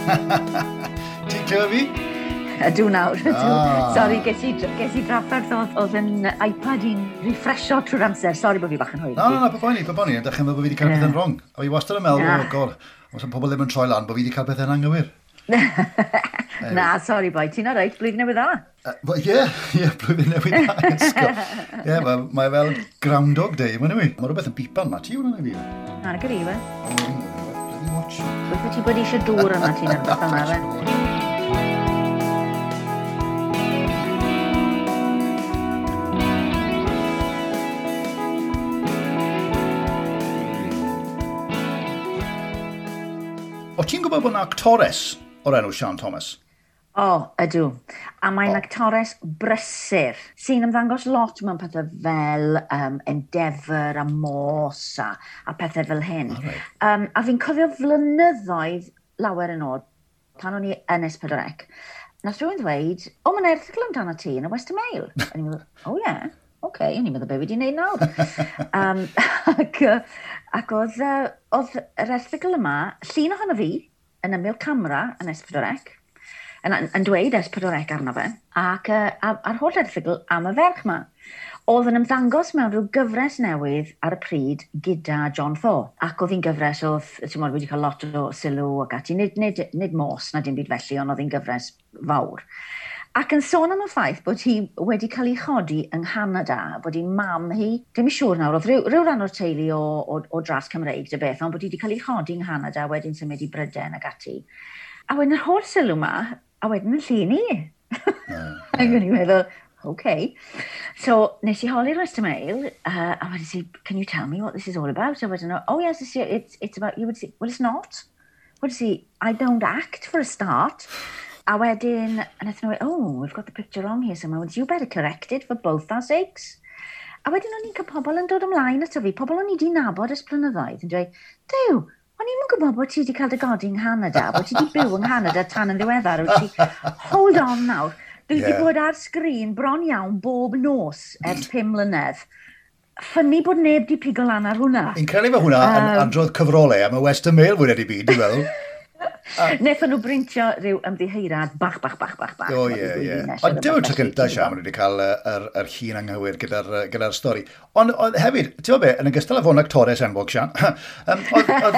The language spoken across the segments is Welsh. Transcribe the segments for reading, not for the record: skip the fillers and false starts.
Ti'n clywed fi? Ydw nawr, ydw. Ah. Sorry, ges i drafferth oedd yn iPad i'n refresho trwy'r amser. Sorry bod fi bach yn hwyr. Na, na, na, paid poeni, paid poeni. Ydych chi'n meddwl bod fi wedi cael pethau'n wrong. A fi wastad yn meddwl, oh god, os pobl ddim yn troi lan, bod fi wedi cael pethau'n anghywir. Na, sorry boi, ti'n alright, blwyddyn newydd dda. Ie, ie, blwyddyn newydd dda. Ie, mae fel Groundhog Day, mae'n yw. Mae rhywbeth yn bipan ma, ti hwnna'n ei fi? Na, gyda i fe. Watch. Beth ti bod eisiau dŵr yma ti'n ar beth yma fe? O ti'n gwybod bod yna actores o'r enw Sian Thomas? O, ydw. A mae'n actores brysur sy'n ymddangos lot mewn pethau fel Endeavour a Morse a pethau fel hyn. Oh, right. A fi'n cofio flynyddoedd lawer yn ôl, pan o'n i yn S4C, nath rhywun ddweud, o, mae'n erthygl amdano ti yn y Western Mail. A ni'n meddwl, o ie, yeah, oce, o'n i'n meddwl be fi wedi gwneud nawr. Ac oedd yr erthygl yma, llun ohono fi, yn ymyl camera yn S4C, yn dweud S4C arno fe, ac a'r holl erthygl am y ferch yma. Oedd yn ymddangos mewn rhyw gyfres newydd ar y pryd gyda John Thaw. Ac oedd hi'n gyfres oedd, ti'n modd, wedi cael lot o sylw ac ati, nid Morse na dim byd felly, ond oedd hi'n gyfres fawr. Ac yn sôn am y ffaith bod hi wedi cael ei chodi yng Nghanada, bod hi'n mam hi, ddim yn siŵr nawr, oedd rhyw ran o'r teulu o dras Cymreig dy beth, ond bod hi wedi cael ei chodi yng Nghanada, wedyn symud i Bryden ac ati. A wedyn yr holl sylw yma, a wedyn yn llun i. Ac o'n i'n meddwl, okay. So, nes i holi'r Western Mail, a wedyn si, can you tell me what this is all about? A wedyn, oh yes, it's about you. Well, it's not. Wedyn si, I don't act for a start. A wedyn, a wnaethon nhw, oh, we've got the picture wrong here somewhere. Well, you better correct it for both our sakes. A wedyn o'n i'n cael pobl yn dod ymlaen ato fi, pobl o'n i wedi nabod ers blynyddoedd, yn dweud, Duw, o'n i'm yn gwybod bod ti wedi cael dy godi yng Nghanada, bod ti wedi byw yng Nghanada tan yn ddiweddar. Wyt ti, hold on nawr, dwi wedi bod ar sgrin bron iawn bob nos ers 5 mlynedd. Ffynnu bod neb di pigo lan ar hwnna. Fi'n credu fe hwnna yn adrodd cyfrolau am y Western Mail fwy neu byd, dwi'n meddwl. Wnaethon nhw brintio rhyw ymddiheirad bach, bach, bach, bach, bach. O, ie, ie. Ond dim y tro cyntaf, Sian, maen nhw wedi cael yr llun anghywir gyda'r stori. Ond hefyd, ti'n gwybod be, yn ogystal â fod yn actores enwog, Sian, oedd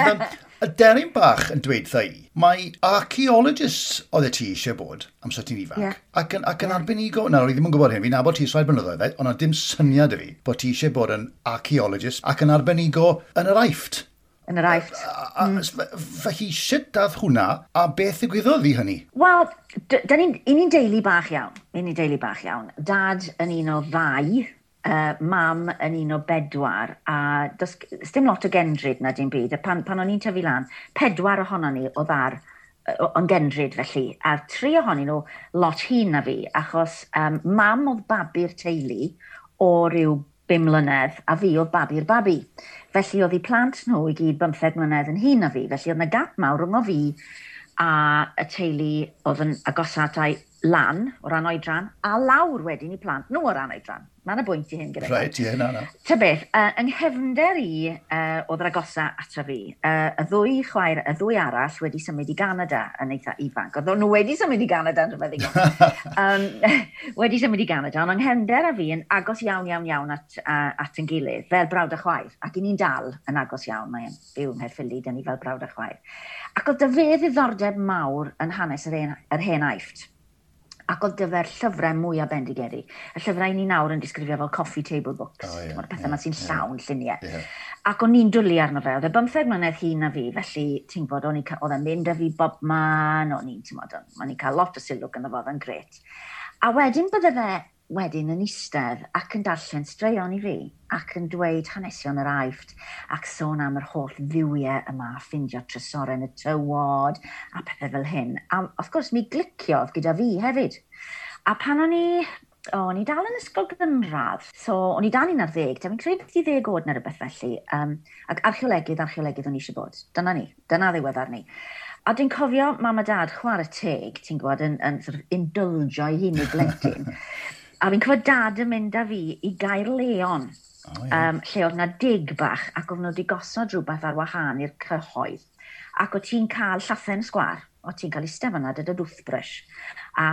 y deryn bach yn dweud wrtha i, mae archaeologists oedd y ti eisiau bod amser ti'n ifanc, ac yn arbenigo, na, o'n i ddim yn gwybod hyn, fi'n nabod ti ers rhai blynyddoedd, ond oedd dim syniad i fi bod ti eisiau bod yn archaeologist ac yn arbenigo yn yr Aifft. Yn yr Aifft. Felly, sut dath hwnna, a beth ddigwyddodd i hynny? Wel, ni'n deulu bach iawn. Ni'n deulu bach iawn. Dad yn un o ddau, mam yn un o bedwar, a does dim lot o gendryd na dim byd. A pan o'n i'n tyfu lan, 4 ohonon ni oedd ar yn gendryd felly, a 3 ohonyn nhw lot hŷn na fi, achos mam oedd babi'r teulu o ryw 5 mlynedd, a fi oedd babi'r babi. Felly oedd eu plant nhw i gyd 15 mlynedd yn hŷn na fi. Felly oedd yna gap mawr rhwng o fi a y teulu oedd yn agosat a'i lan o ran oedran, a lawr wedyn i plant nhw o ran oedran. Mae yna bwynt i hyn gyda. Reit, ie, na. Ta beth, yng nghefnder i oedd yr agosa ato fi. Y ddwy chwaer, y ddwy arall wedi symud i Ganada yn eitha ifanc. Oedd nhw wedi symud i Ganada yn rhywbeth ddigon. Wedi symud i Ganada, ond yng nghefnder a fi yn agos iawn, iawn, iawn at yn gilydd, fel brawd a chwaer. Ac i ni'n dal yn agos iawn, mae'n byw yng Nghaerffili, dyn ni fel brawd a chwaer. Ac oedd 'da fe ddiddordeb mawr yn hanes yr hen Aifft. Ac oedd gyfer llyfrau mwyaf bendigedig. Y llyfrau ni nawr yn disgrifio fel coffee table books. Oh, yeah, Mae'r pethau yma sy'n llawn lluniau. Yeah. Ac o'n i'n dwlu arno fe. Oedd e 15 mlynedd hŷn na fi, felly ti'n gwybod, oedd e'n mynd â fi bob man, o'n i'n, ti'n gwybod, o'n i'n cael lot o sylw ganddo fo, oedd e'n grêt. A wedyn bydde fe wedyn yn eistedd ac yn darllen straeon i fi ac yn dweud hanesion yr Aifft ac sôn am yr holl dduwiau yma, ffindio trysorau yn y tywod a pethau fel hyn. A wrth gwrs mi gliciodd gyda fi hefyd. A pan o'n i dal yn ysgol gynradd, so o'n i dal 11, da fi'n credu beth i 10 oed neu rhywbeth felly, ac archeolegydd o'n i eisiau bod. Dyna ni, dyna ddiweddar ni. A dwi'n cofio mam a dad chwarae teg, ti'n gwybod, yn sort of indulgio i hun i blentyn. A fi'n cofio dad yn mynd â fi i Gaerleon, lle oedd na dig bach ac oedd nhw wedi gosod rhywbeth ar wahân i'r cyhoedd. Ac o ti'n cael llathen sgwar, o ti'n cael eistedd fan'na gyda toothbrush a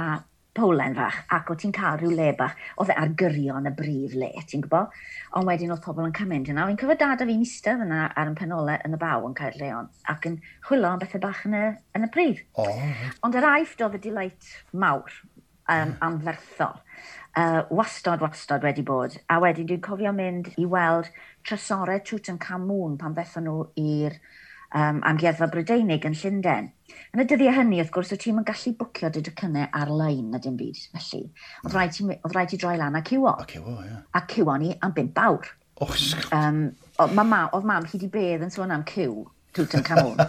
powlen fach, ac o ti'n cael rhyw le bach, oedd e ar gyrion y brif le, ti'n gwybod? Ond wedyn oedd pobl yn cymryd yna. Fi'n cofio dad a fi'n eistedd yna ar yn penolau yn y baw yn Caerleon ac yn chwilio am bethau bach yn y pridd. Oh, right. Ond yr Aifft oedd y delight mawr, anferthol. Wastod, wastod wedi bod. A wedyn dwi'n cofio mynd i weld trysorau Tutankhamun pan ddethon nhw i'r Amgueddfa Brydeinig yn Llundain. Yn y dyddiau hynny, wrth gwrs, o ti'n yn gallu bwcio dy docynnau ar-lein na dim byd, felly. Oedd rhaid ti droi lan a ciwo. A ciwo, ie. A ciwo ni am 5 awr. Oh. Oedd mam hyd i bedd yn sôn am ciw Tutankhamun.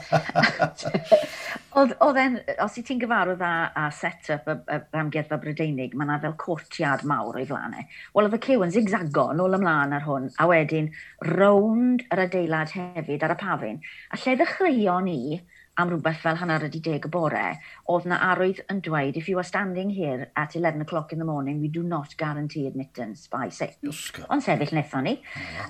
Oedd e'n, os i ti'n gyfarwydd â set-up y Amgueddfa Brydeinig, mae yna fel courtyard mawr o'i flaen e. Wel, oedd y ciw yn zigzago nôl ymlaen ar hwn, a wedyn rownd yr adeilad hefyd ar y pafin. A lle ddechreuon ni am rhywbeth fel 10:30 y bore, oedd na arwydd yn dweud, "If you are standing here at 11 o'clock in the morning, we do not guarantee admittance by 6." Iosgo. Ond sefyll wnaethon ni.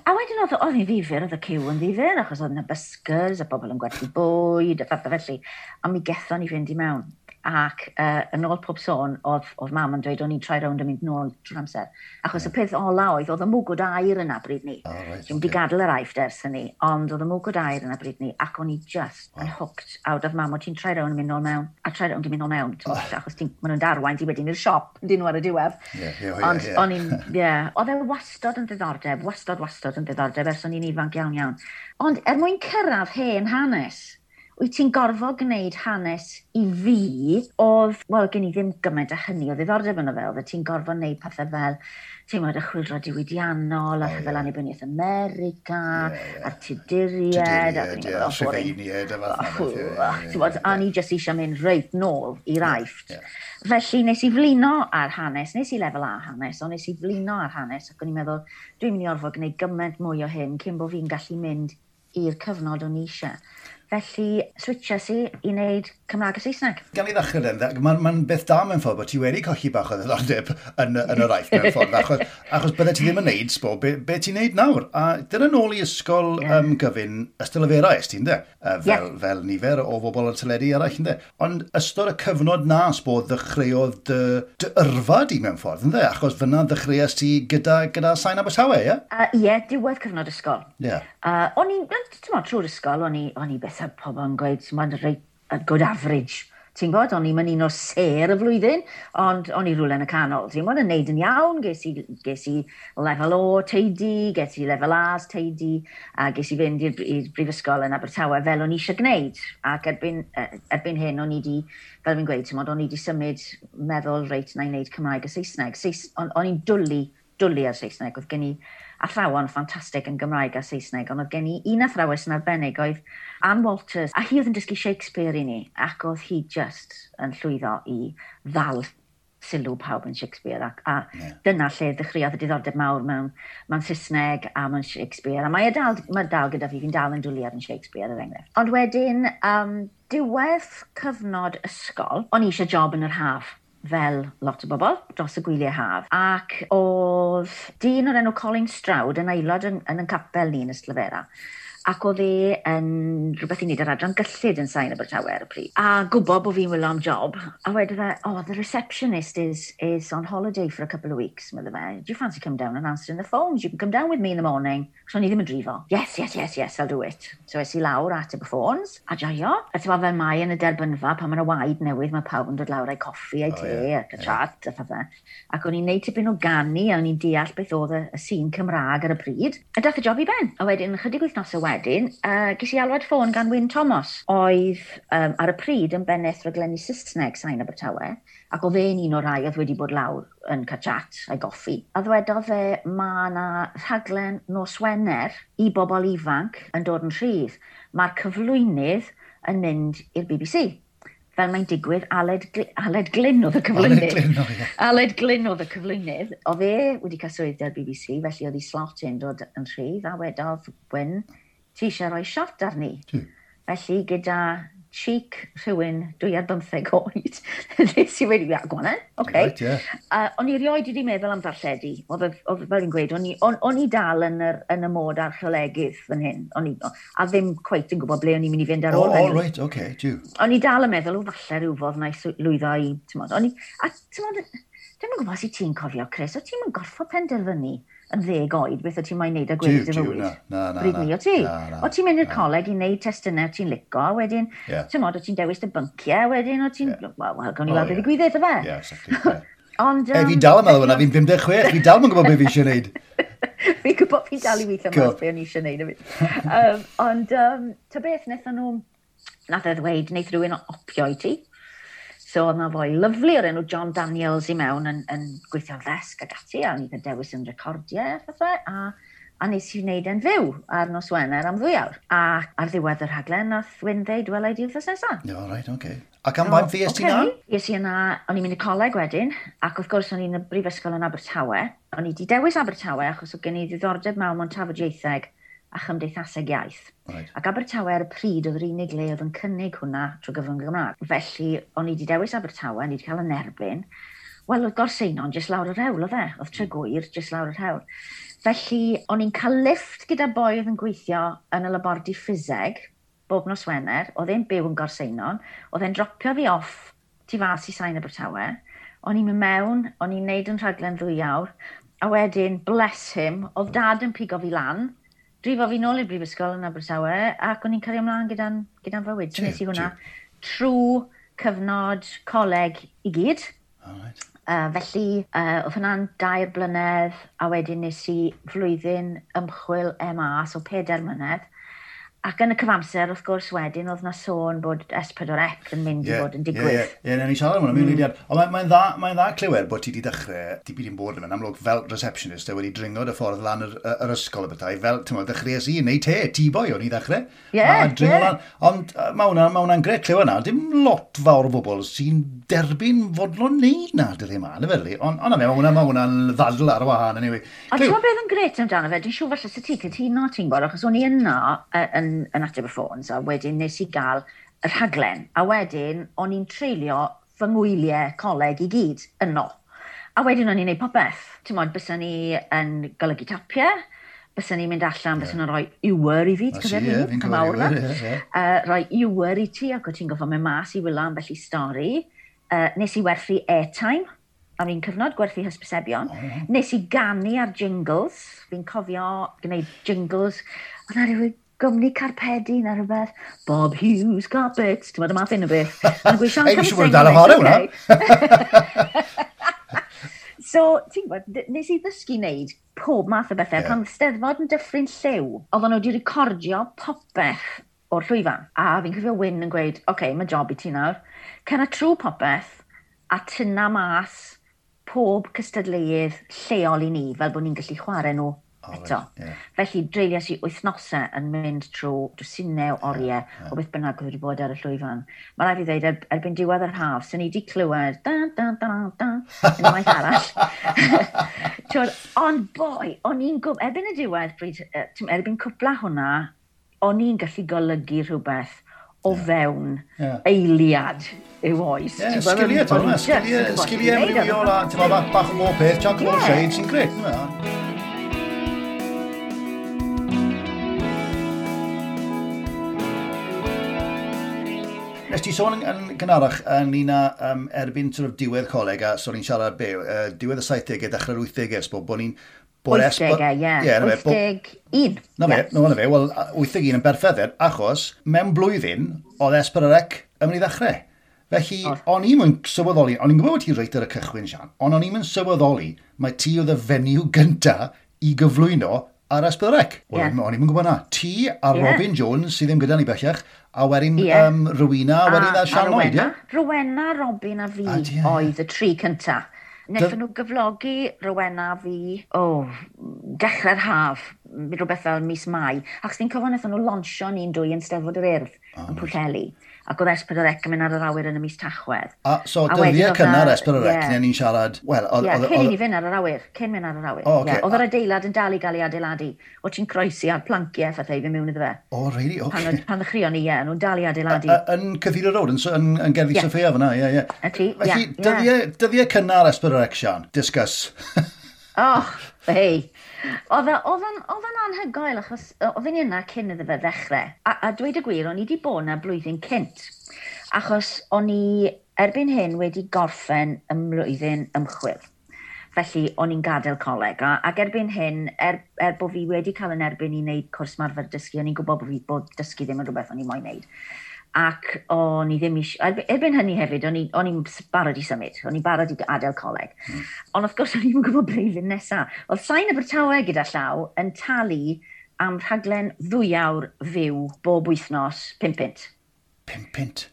A wedyn oedd hi'n ddifyr, oedd y ciw yn ddifyr, achos oedd yna buskers a bobl yn gwerthu bwyd a phethau felly. A mi gethon ni fynd i mewn. Ac yn ôl pob sôn, oedd mam yn dweud o'n i'n troi rownd yn mynd nôl trwy'r amser. Achos y peth ola oedd y mwgwd aur yna bryd ni. Oh, right, Dwi'n wedi gadael yr Aifft ers hynny, ond oedd y mwgwd aur yna bryd ni, ac o'n i just yn hooked. A oedd mam, o ti'n troi rownd yn mynd nôl mewn, a troi rownd yn mynd nôl mewn, oh. Achos maen nhw'n darwain ti wedyn i'r siop, dyn nhw ar y diwedd. Ie, ie, ie, Ond o'n i'n, ie, oedd e wastod yn ddiddordeb, wastod, wastod yn ddiddordeb ers o'n i'n ifanc iawn iawn. Ond er mwyn cyrraedd hen hanes, wyt ti'n gorfod gwneud hanes i fi oedd, wel, gen i ddim gymaint a hynny o ddiddordeb yno fe, oedd ti'n gorfod gwneud pethau fel, ti'n gwybod, y chwyldro diwydiannol, a rhyfel annibyniaeth America, Ie, ie. a'r Tuduriaid, a Tuduriaid, ie, Rhufeiniaid a fath 'na beth, ie, ie, Ti'n gwybod, a ni jyst eisiau mynd reit nôl i'r Aifft. Felly nes i flino ar hanes, nes i lefel A hanes, ond nes i flino ar hanes, ac o'n i'n meddwl, dwi'n mynd i orfod gwneud gymaint mwy o hyn cyn bod fi'n gallu mynd i'r cyfnod o'n i eisiau. Felly, switches i i wneud Cymraeg a Saesneg. Gan i ddechrau den, mae'n ma beth da mewn ffordd bod ti wedi colli bach o ddiddordeb yn yr Aifft mewn ffordd, achos bydde ti ddim yn neud, sbo, be ti'n neud nawr? A dyna nôl i ysgol gyfun Ystalyfera es ti'n de? Fel nifer o bobl ar teledu eraill, ynde? Ond ystod y cyfnod na, sbo, ddechreuodd dy yrfa di mewn ffordd, ynde? Achos fyna ddechreuais ti gyda Sain Abertawe, ie? Ie, diwedd cyfnod ysgol. O'n i'n, ti'n gwbod, trwy'r ysgol, o'n i beth pobl yn gweud, mae'n reit a good average. Ti'n gwybod, o'n i'n un o'r sêr y flwyddyn, ond o'n i rhywle yn y canol. Ti'n gwybod, yn neud yn iawn, ges i lefel O teidi, ges i lefel A's teidi, a ges i fynd i'r brifysgol yn Abertawe fel o'n i eisiau gwneud. Ac erbyn hyn, o'n i di, fel fi'n gweud, ti'n gwybod, o'n i di symud meddwl, reit, na i wneud Cymraeg a Saesneg. O'n i'n dwlu ar Saesneg. Oedd gen i athrawon ffantastig yn Gymraeg a Saesneg, ond oedd gen i un athrawes yn arbennig oedd Ann Walters, a hi oedd yn dysgu Shakespeare i ni, ac oedd hi just yn llwyddo i ddal sylw pawb yn Shakespeare, ac dyna lle ddechreuodd y diddordeb mawr mewn Saesneg a mewn Shakespeare, a mae dal gyda fi, fi'n dal yn dwlu ar yn Shakespeare, er enghraifft. Ond wedyn, diwedd cyfnod ysgol, o'n i eisiau job yn yr haf, fel lot o bobl, dros y gwyliau haf. Ac oedd dyn o'r enw Colin Stroud yn aelod yn capel ni yn Ystalyfera. Ac oedd e yn rhywbeth i wneud ar adran gyllid yn Sain Abertawe ar y pryd. A gwybod bod fi'n wylio am job. A wedodd e, "Oh, the receptionist is on holiday for a couple of weeks," medde fe. "Do you fancy come down and answering the phones? You can come down with me in the morning." So o'n i ddim yn drifo. Yes, I'll do it." So es i lawr ateb y ffôns, a joio. A ti'n fel mae yn y derbynfa, pan mae'n y waed newydd, mae pawb yn dod lawr a'i coffi, a'i te, ac y chat, a phethau. Ac o'n i'n neud tipyn o ganu, a o'n i'n deall beth oedd y sîn Cymraeg ar y pryd. A dath y job i ben. A wedyn, chydig wythnosau wedyn, ges i alwad ffôn gan Wyn Thomas, oedd ar y pryd yn bennaeth rhaglenni Saesneg Sain Abertawe, ac oedd e'n un o'r rhai oedd wedi bod lawr yn cael chat a'i goffi. A ddwedodd fe, mae yna rhaglen nos Wener i bobl ifanc yn dod yn rhydd. Mae'r cyflwynydd yn mynd i'r BBC. Fel mae'n digwydd, Aled Glyn oedd y cyflwynydd. Aled Glyn, o ie. Aled Glyn oedd y cyflwynydd. Oedd e wedi cael swydd da'r BBC, felly oedd ei slot yn dod yn rhydd, a wedodd Wyn, "Ti eisiau rhoi shot arni?" Felly gyda Cheek rhywun 2 ar bymtheg oed. Nes i wedi, yeah, go on then, okay. Right, yeah. O'n i rioed wedi meddwl am ddarlledu. Oedd fel fi'n gweud, o'n i dal yn y mod archeolegydd fan hyn. O'n i, a ddim cweit yn gwybod ble o'n i'n mynd i fynd ar ôl hynny. Oh, right, okay, jiw. O'n i dal yn meddwl, o falle rhywfodd na i lwyddo i, ti'n o'n i, a ti'n dwi'm yn gwybod os ti'n cofio, Chris, o ti'n mynd gorfod penderfynu yn 10 oed beth o ti'n moyn neud a gweddill dy fywyd? Na, na, na. Bryd ni, o ti? O ti'n mynd i'r coleg i wneud testunau ti'n lico, a wedyn, ti'n modd, o ti'n dewis dy bynciau, wedyn o ti'n, wel, well, gawn ni weld beth ddigwydd, ife? Yeah, exactly. Yeah. Ond... E, fi'n dal yn meddwl yna, fi'n 56, fi dal yn gwybod beth fi eisiau gwneud. Fi'n gwybod fi'n dal i weithio mas beth o'n i eisiau gwneud. Ond, ta beth, wnaethon nhw, nath e ddweud, wneith rhywun opio i ti. So oedd na foi lyfli o'r enw John Daniels i mewn yn gweithio'r ddesg ac ati, a o'n i'n dewis yn recordiau a phethau, a nes i wneud e'n fyw ar nos Wener am 2 awr. A ar ddiwedd y rhaglen, nath Wyn ddeud, "Wel, i di wythnos nesaf." No, right, okay. Ac am faint fues ti na? Es i yna, o'n i'n mynd i coleg wedyn, ac wrth gwrs o'n i'n y brifysgol yn Abertawe. O'n i wedi dewis Abertawe achos oedd gen i ddiddordeb mawr mewn tafodieitheg a chymdeithaseg iaith. Ac Abertawe ar y pryd oedd yr unig le oedd yn cynnig hwnna trwy gyfrwng y Gymraeg. Felly, o'n i wedi dewis Abertawe, o'n i wedi cael yn erbyn. Wel, oedd Gorseinon jyst lawr yr hewl, oedd e? Oedd Tregwyr jyst lawr yr hewl. Felly, o'n i'n cael lift gyda boi oedd yn gweithio yn y labordy ffiseg, bob nos Wener, oedd e'n byw yn Gorseinon, oedd e'n dropio fi off tu fas i Sain Abertawe, o'n i'n mynd mewn, o'n i'n neud yn rhaglen 2 awr, a wedyn, bless him, oedd dad yn pigo fi lan, drifo fi nôl i'r brifysgol yn Abertawe, ac o'n i'n cario ymlaen gyda'n fywyd. So nes i hwnna trwy cyfnod coleg i gyd. Felly, oedd hwnna'n 3 blynedd, a wedyn nes i flwyddyn ymchwil MA, so 4 mlynedd. Ac yn y cyfamser, wrth gwrs, wedyn, oedd na sôn bod S4C yn mynd i fod yn digwydd. Ie, ie, yeah, ni siarad am hwnna mewn eiliad. Ond mae'n dda, mae dda clywed bod ti wedi dechrau, ti byd i'n bod yn amlwg fel receptionist, a wedi dringo dy ffordd lan yr ysgol y bethau, fel, ti'n meddwl, dechreuais i, neu te, tea boy o'n i ddechrau. A dringo lan. Ond mae hwnna'n gret clywed na, dim lot fawr o bobl sy'n derbyn fodlon neud na, dyddi yma, na felly. Ond na fe, mae hwnna'n ddadl ar wahân, anyway. Ond ti'n gwybod beth yn gret amdano fe? Dwi'n siŵr falle sa ti cytuno, ti'n gwybod, achos o'n i yno yn ateb y ffôns, a wedyn nes i gael y rhaglen. A wedyn, o'n i'n treulio fy ngwyliau coleg i gyd yno. A wedyn o'n i'n neud popeth. Ti'n modd, bysa ni yn golygu tapiau, bysa ni'n mynd allan, bysa nhw'n rhoi ewer i fi, ti'n cofio ie, fi'n cofio ewer, ie, ie. Rhoi ewer i ti, ac o ti'n goffo mynd mas i wylo ambell i stori. Nes i werthu airtime am un cyfnod, gwerthu hysbysebion. Oh. Nes i ganu ar jingles. Fi'n cofio gwneud jingles. Oedd na rhyw gwmni carpedi na rhywbeth. Bob Hughes Carpets. Ti'n meddwl y math un o beth. O'n gweud, Sean, Ei, fi'n siŵr bod yn dal yn chwarae hwnna. So, ti'n gwybod, nes i ddysgu wneud pob math o bethau. Pan Steddfod yn Dyffryn Lliw, oedden nhw wedi recordio popeth o'r llwyfan. A fi'n cofio Wyn yn gweud, "Oce, okay, mae job i ti nawr. Cer trwy popeth a tynna mas pob cystadleuydd lleol i ni, fel bod ni'n gallu chwarae nhw eto." Right, ie. Felly, dreuliais i wythnosau yn mynd trwy dwsinau o oriau o beth bynnag oedd wedi bod ar y llwyfan. Mae rhaid fi ddweud, erbyn diwedd yr haf, sy'n ni wedi clywed da, da, da, da, unwaith arall. T'wod, ond boi, o'n i'n gwybod, erbyn y diwedd, bryd, erbyn cwpla hwnna, o'n i'n gallu golygu rhywbeth o fewn eiliad i'w oes. Ie, Ti'n gwbod, sgiliau, o'n i ti'n just yn gwbod sgiliau beth i wneud. amrywiol a ti'n meddwl, bach o bob peth, jack of all trades, sy'n gret, yna. Nes ti sôn yn gynharach ynglyn â erbyn sort of diwedd coleg, a so ni'n siarad be, diwedd y 70au, dechrau'r 80au, sbo, bod ni'n... Bod 80au, ie. Ie, na fe, 81. Na fe, na fe, wel, 81 yn berffaith, achos mewn blwyddyn, oedd S4C yn mynd i ddechrau. Felly, o'n i'm yn sylweddoli, o'n i'n gwybod bod ti reit ar y cychwyn, Sian, ond o'n i'm yn sylweddoli mae ti oedd y fenyw gynta i gyflwyno ar S4C. Wel, o'n i'm yn gwybod na. Ti a Robin Jones, sydd ddim gyda ni bellach, a wedyn Rowena, a wedyn a Sian Lloyd, ie? Rowena, Robin a fi A ti, ie. oedd y tri cynta. Wnaethon nhw gyflogi Rowena a fi, o, oh, dechrau'r haf rhywbeth fel mis Mai. Ac fi'n cofio wnaethon nhw lonsio ni'n dwy yn Steddfod yr Urdd yn Pwllheli. Ac oedd S4C yn mynd ar yr awyr yn y mis Tachwedd. A so dyddiau cynnar S4C, yeah. Ni'n siarad... Wel, oedd... Cyn i ni fynd ar yr awyr. Cyn mynd ar yr awyr. Oh, okay. Yeah. Oedd yr adeilad yn dal i gael ei adeiladu. O ti'n croesi ar planciau phethau i fynd mewn iddo fe. O, oh, really? Okay. Pan ddechreuon ni, ie, nhw'n dal i adeiladu. Yn Cathedral Road, yn Gerddi Sophia fyna, ie, ie. Y ti, ie. Felly, dyddiau cynnar S4C, Sian, discuss. Oh, hei. Oedd o'n anhygoel, achos oedd yn yna cyn iddo fe ddechrau. A dweud y gwir, o'n i wedi bod yna blwyddyn cynt. Achos o'n i erbyn hyn wedi gorffen ym mlwyddyn ymchwil. Felly, o'n i'n gadael coleg. Ac erbyn hyn, er bod fi wedi cael yn erbyn i wneud cwrs marfer dysgu, o'n i'n gwybod bod dysgu ddim yn rhywbeth o'n i moyn wneud. Ac o'n i ddim eisiau... Erbyn hynny hefyd, o'n i'n barod i symud. O'n i'n barod i adael coleg. Ond wrth gwrs, o'n i'n gwybod blwyddyn nesaf. Oedd Sain Abertawe gyda llaw yn talu am rhaglen 2 awr fyw bob wythnos 5 punt. 5 punt?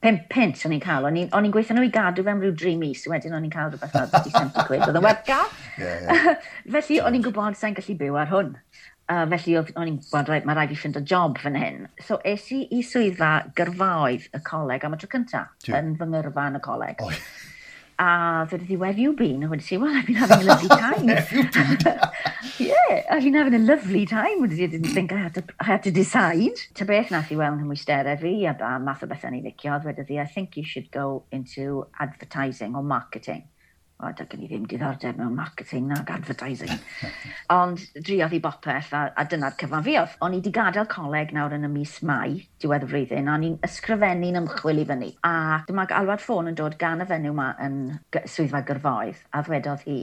5 punt o'n i'n cael. O'n i'n gweithio nhw i gadw fe am ryw 3 mis. Wedyn o'n i'n cael rhywbeth fel 70 quid. Oedd yn werth gael. Yeah. Felly o'n i'n gwybod sa'n gallu byw ar hwn. Felly o'n i'n gwybod, right, mae rhaid fi ffindo job fan hyn. So es i i swyddfa gyrfaoedd y coleg am y tro cyntaf, yn fy ngyrfa yn y coleg. Oh. A ddwedodd hi, where have you been? A wedi si, well, I've been having a lovely time. Where have you been? Yeah, I've been having a lovely time. Wedi si, I didn't think I had to decide. Ta beth nath i weld nghymwysterau fi, a math o bethau ni licio, ddwedodd hi, I think you should go into advertising or marketing. O, da gen i ddim diddordeb mewn marketing nag advertising. Ond driodd i bopeth, a dyna'r cyfan fi oedd. O'n i wedi gadael coleg nawr yn y mis Mai, diwedd y flwyddyn, a o'n i'n ysgrifennu'n ymchwil i fyny. A dyma alwad ffôn yn dod gan y fenyw yma yn swyddfa gyrfaoedd, a ddwedodd hi,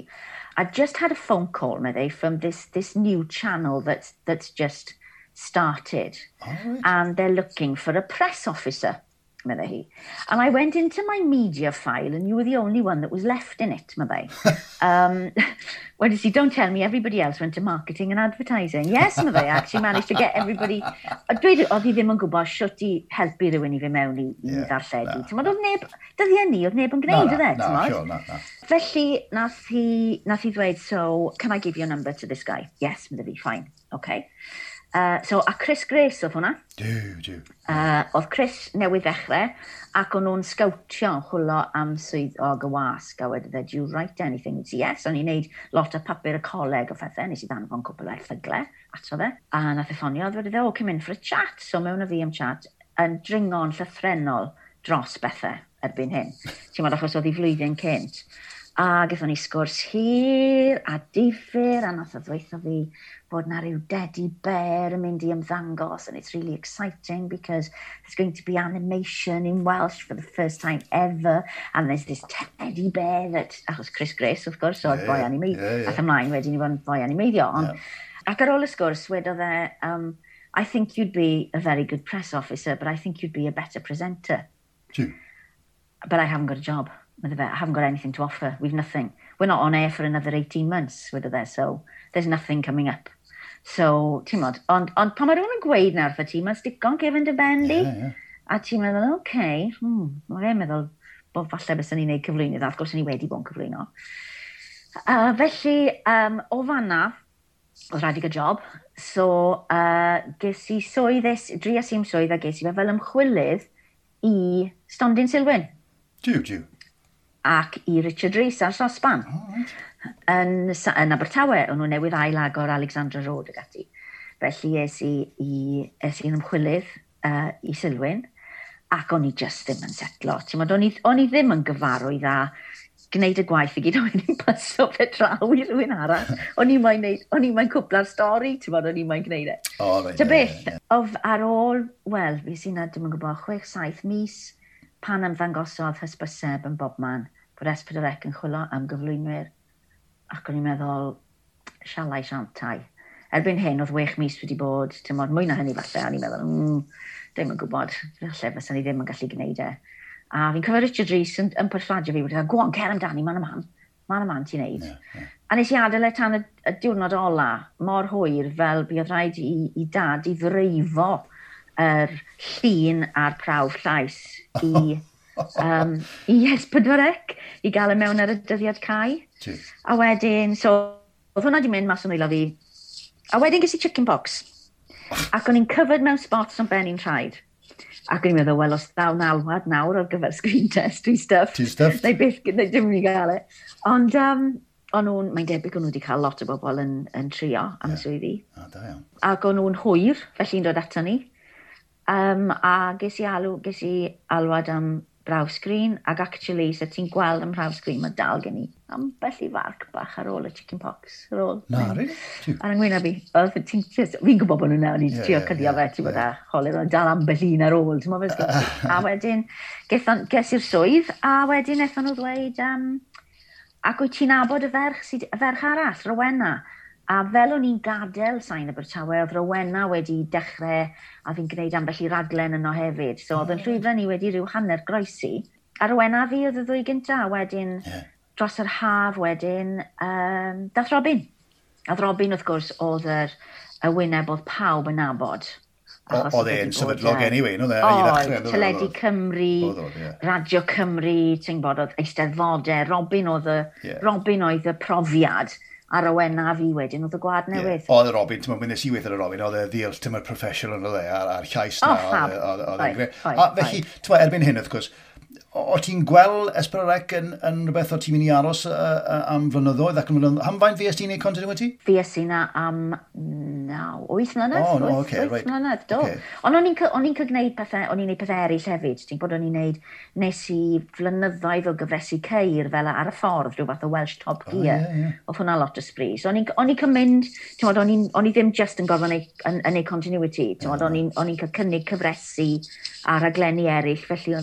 I just had a phone call, meddai, from this new channel that's just started. Oh, right. And they're looking for a press officer, meddai hi. And I went into my media file and you were the only one that was left in it, meddai. Well, you see, don't tell me everybody else went to marketing and advertising. Yes, meddai, I actually managed to get everybody... A dweud, oedd hi ddim yn gwybod sut i helpu rhywun i fynd mewn i ddarlledu. Ti'n oedd neb, dyddiau ni, oedd neb yn gwneud, oedd e, ti'n modd? Sure, na. Felly, nath hi ddweud, so, can I give your number to this guy? Yes, meddai fi, fine, okay. So, a Chris Grace oedd hwnna. Duw. Oedd Chris newydd ddechrau, ac o'n nhw'n sgawtio chwilio am swyddog y wasg, a wedodd e, do you write anything? Yes, o'n i'n neud lot o papur y coleg o phethau, nes i ddanfon cwpl o erthygle ato fe. A nath e ffonio, wedodd e, oh, come in for a chat. So, mewn o fi am chat, yn dringo'n llythrennol dros bethau erbyn hyn. Ti'n meddwl, achos oedd hi flwyddyn cynt. A gaethon ni sgwrs hir a difyr, a nath o ddweutho fi bod na ryw teddy bear yn mynd i ymddangos, and it's really exciting because there's going to be animation in Welsh for the first time ever, and there's this teddy bear that, achos Chris Grace, wrth gwrs, oedd boi animeiddio, ath ymlaen wedyn i fod yn boi animeiddio. Ond, ac ar ôl y sgwrs, wedodd e, I think you'd be a very good press officer, but I think you'd be a better presenter. True. But I haven't got a job. I haven't got anything to offer. We've nothing. We're not on air for another 18 months, wedodd e, so there's nothing coming up. So, ti'n modd, ond pan mae rhywun yn gweud na wrtho ti, mae'n stico'n cefn dy ben di. Yeah. A ti'n meddwl, okay, mae fe'n meddwl bod falle bys ni'n neud cyflwynydd, a wrth gwrs ni wedi bod yn cyflwyno. Felly, o fanna, oedd rhaid i gael job. So, ges i swydd, drias i'm swydd a ges i fe fel ymchwilydd i Stondin Silwyn. Duw. Ac i Richard Rees ar Sosban. Oh, right. Yn Abertawe, o'n nhw newydd ail-agor Alexandra Road ag ati. Felly es i'n ymchwilydd i Silwyn, ac o'n i just ddim yn setlo. Ti'n modd, o'n i ddim yn gyfarwydd â gwneud y gwaith i gyd, o'n i'n paso fe draw i rhywun arall. O'n i'n moyn cwpla'r stori, ti'n modd, o'n i'n moyn gwneud e. Oh, right, Ta beth, yeah. Ar ôl, wel, fi sy'n na, dim yn gwybod, 6-7 mis, pan ymddangosodd hysbyseb yn bobman, bod S4C yn chwilio am gyflwynwyr. Ac o'n i'n meddwl, sialai siantai. Erbyn hyn, oedd 6 mis wedi bod, ti'n modd, mwy na hynny falle, o'n i'n meddwl, ddim yn gwybod, falle fysa ni ddim yn gallu gwneud e. A fi'n cofio Richard Rees yn perswadio fi, wedi dweud, go on, cer amdani, man y man ti'n neud. Yeah. A nes i adael e tan y diwrnod ola, mor hwyr, fel buodd rhaid i dad i ddreifo yr llun a'r prawf llais i i S4C, i gael e mewn ar y dyddiad cau. A wedyn, so, oedd hwnna wedi mynd mas o'n nwylo fi, A wedyn ges i chicken pox. Ac o'n i'n covered mewn spots o'n ben i'n rhaid. Ac o'n i'n meddwl, wel, os ddawn alwad nawr ar gyfer screen test, dwi'n stuffed. Ti'n stuffed? Neu byth, neu dim yn i gael e. Ond o'n nhw'n, mae'n debyg o'n nhw wedi cael lot o bobl yn trio am y swyddi. O, da iawn. Ac o'n nhw'n hwyr, felly'n dod ato ni. A ges i alwad am brawf sgrin, ac actually, so ti'n gweld am brawf sgrin, mae dal gen i ambell i farc bach ar ôl y chicken pox. Ar ôl. Na, really? Ar yngwyneb fi. Fi'n gwybod bod nhw'n nawr i trio cyddio fe, ti'n bod a cholir, ond dal ambell un ar ôl, ti'n bod. A wedyn, ges i'r swydd, a wedyn wnaethon nhw ddweud, ac wyt ti'n nabod y ferch, y ferch arall, Rowena? A fel o'n i'n gadael Sain Abertawe, oedd Rowena wedi dechrau, a fi'n gwneud ambell i raglen yno hefyd. So oedd yn llwyfan ni wedi rhyw hanner groesi. A Rowena fi oedd y ddwy gynta, a wedyn dros yr haf wedyn, dath Robin. A Robin, wrth gwrs, oedd y wyneb oedd pawb yn nabod. Oedd e'n sefydlog anyway, no? Oedd, Teledu Cymru, Radio Cymru, ti'n gwybod, oedd Eisteddfodau, Robin oedd y profiad. A Rowena fi wedyn oedd y gwad newydd. Oedd y Robin, ti'n meddwl, nes i weithio ar y Robin, oedd e the ultimate professional yn oedd e, a'r llais na. Oedd e'n grêt. A felly, ti'n meddwl, erbyn hyn, wrth gwrs, o ti'n gweld S4C yn rhywbeth o ti'n mynd i aros am flynyddoedd ac yn flynyddoedd? Am faint fues ti'n neud continuity? Fues i na am 8 mlynedd. Oh, no, okay, 8 mlynedd, do. Okay. Ond o'n i'n gwneud pethau, o'n i'n gwneud pethau eraill hefyd. Ti'n bod o'n i'n gwneud, nes i flynyddoedd o gyfresu ceir fel ar y ffordd, rhyw fath o Welsh Top Gear. Oh, yeah, yeah. Oedd hwnna lot o sbri. So o'n i'n mynd, ti'n bod, o'n i ddim just yn gorfod yn ei continuity. Ti'n bod, o'n i'n cael cynnig cyfresu a raglenni eraill, felly